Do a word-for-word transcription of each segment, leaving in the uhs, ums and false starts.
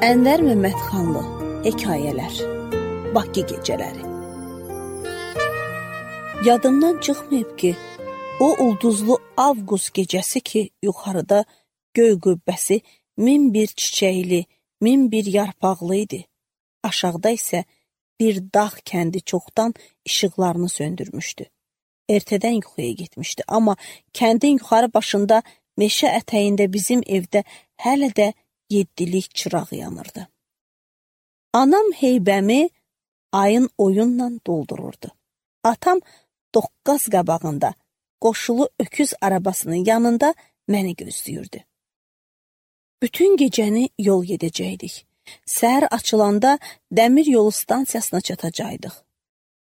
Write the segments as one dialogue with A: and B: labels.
A: Ənvər Məmmədxanlı Hekayələr Bakı gecələri. Yadımdan çıxmayıb ki, o ulduzlu avqust gecəsi ki, yuxarıda göy qübbəsi min bir çiçəkli, min bir yarpaqlı idi. Aşağıda isə bir dağ kəndi çoxdan işıqlarını söndürmüşdü. Ertədən yuxuya getmişdi, amma kəndin yuxarı başında meşə ətəyində bizim evdə hələ də yeddilik çıraq yanırdı. Anam heybəmi ayın oyunla doldururdu. Atam doqqaz qabağında, qoşulu öküz arabasının yanında məni gözləyirdi. Bütün gecəni yol gedəcəkdik. Səhər açılanda dəmir yolu stansiyasına çatacaqdıq.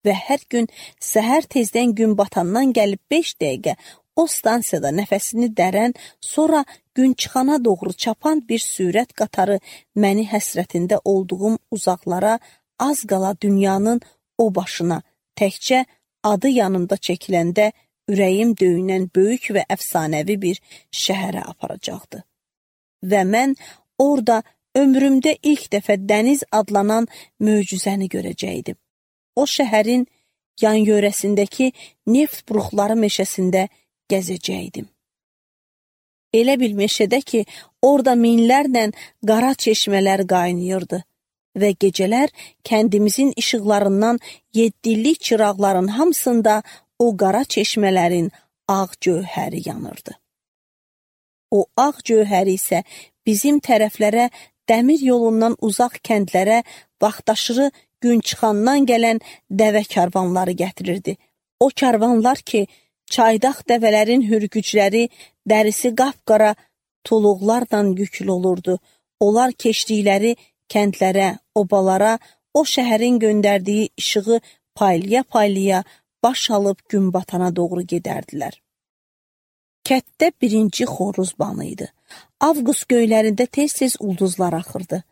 A: Və hər gün səhər tezdən gün batandan gəlib beş dəqiqə o stansiyada nəfəsini dərən, sonra gün çıxana doğru çapan bir sürət qatarı məni həsrətində olduğum uzaqlara, az qala dünyanın o başına, təkcə adı yanımda çəkiləndə ürəyim döyünən böyük və əfsanəvi bir şəhərə aparacaqdı. Və mən orada ömrümdə ilk dəfə dəniz adlanan möcüzəni görəcəkdim. O şəhərin yan yörəsindəki neft buruqları meşəsində gəzəcəkdim. Elə bil meşədə ki, orada minlərlə qara çeşmələr qaynayırdı və gecələr kəndimizin işıqlarından yeddillik çıraqların hamısında o qara çeşmələrin ağ gövhəri yanırdı. O ağ gövhəri isə bizim tərəflərə, dəmir yolundan uzaq kəndlərə, vaxtaşırı gün çıxandan gələn dəvə karvanları gətirirdi. O karvanlar ki, çaydaq dəvələrin hürgücləri, dərisi qapqara tuluqlarla yüklü olurdu. Onlar keçdikləri kəndlərə, obalara, o şəhərin göndərdiyi işığı paylaya-paylaya baş alıb gün batana doğru gedərdilər. Kətdə birinci xoruz banı idi. Avqust göylərində tez-tez ulduzlar axırdı.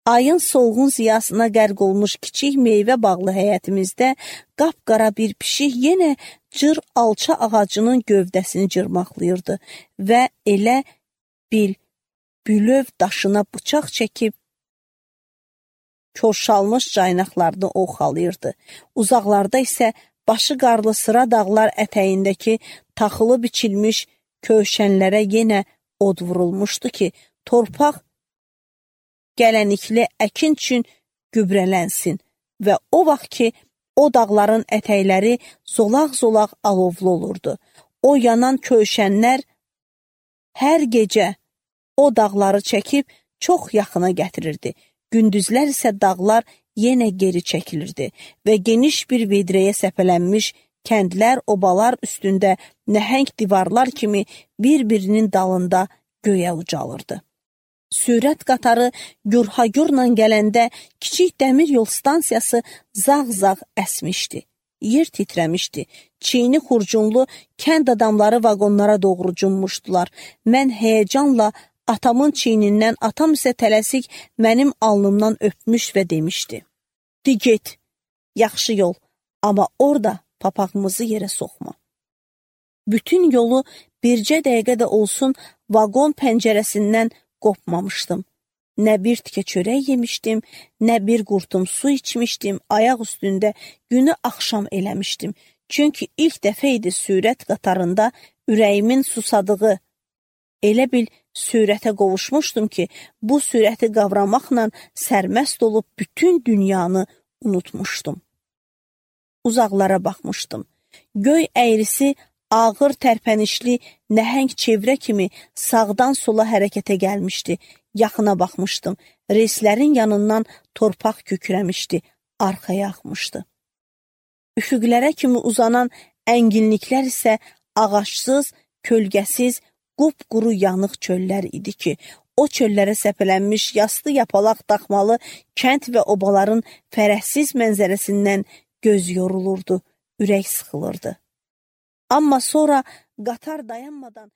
A: Ayın solğun ziyasına qərq olmuş kiçik meyvə bağlı həyətimizdə qapqara bir pişik yenə cır alça ağacının gövdəsini cırmaqlayırdı və elə bil bülöv daşına bıçaq çəkib korşalmış caynaqlarını oxalayırdı. Uzaqlarda isə başı qarlı sıra dağlar ətəyindəki taxılı biçilmiş kövşənlərə yenə od vurulmuşdu ki, torpaq gələnikli əkin üçün gübrələnsin və o vaxt ki, o dağların ətəkləri zolaq-zolaq alovlu olurdu. O yanan kövşənlər hər gecə o dağları çəkib çox yaxına gətirirdi. Gündüzlər isə dağlar yenə geri çəkilirdi və geniş bir vedrəyə səpələnmiş kəndlər, obalar üstündə nəhəng divarlar kimi bir-birinin dalında göyə ucalırdı. Sürət qatarı gürhagürla gələndə kiçik dəmir yol stansiyası zağ-zağ əsmişdi. Yer titrəmişdi. Çiyini xurcunlu kənd adamları vaqonlara doğru cummuşdular. Mən həyəcanla atamın çiynindən, atam isə tələsik mənim alnımdan öpmüş və demişdi: "Di get, yaxşı yol, amma orada papağımızı yerə soxma." Bütün yolu bircə dəqiqə də olsun vaqon pəncərəsindən qopmamışdım. Nə bir tikə çörək yemişdim, nə bir qurtum su içmişdim, ayaq üstündə günü axşam eləmişdim. Çünki ilk dəfə idi sürət qatarında ürəyimin susadığı. Elə bil sürətə qovuşmuşdum ki, bu sürəti qavramaqla sərməst olub bütün dünyanı unutmuşdum. Uzaqlara baxmışdım. Göy əyrisi ağır tərpənişli nəhəng çevrə kimi sağdan sola hərəkətə gəlmişdi. Yaxına baxmışdım. Reyslərin yanından torpaq kökürəmişdi, arxaya axmışdı. Üfüqlərə kimi uzanan ənginliklər isə ağacsız, kölgəsiz, qupquru yanıq çöllər idi ki, o çöllərə səpələnmiş yastı yapalaq daxmalı kənd və obaların fərəhsiz mənzərəsindən göz yorulurdu, ürək sıxılırdı. Amma sonra qatar dayanmadan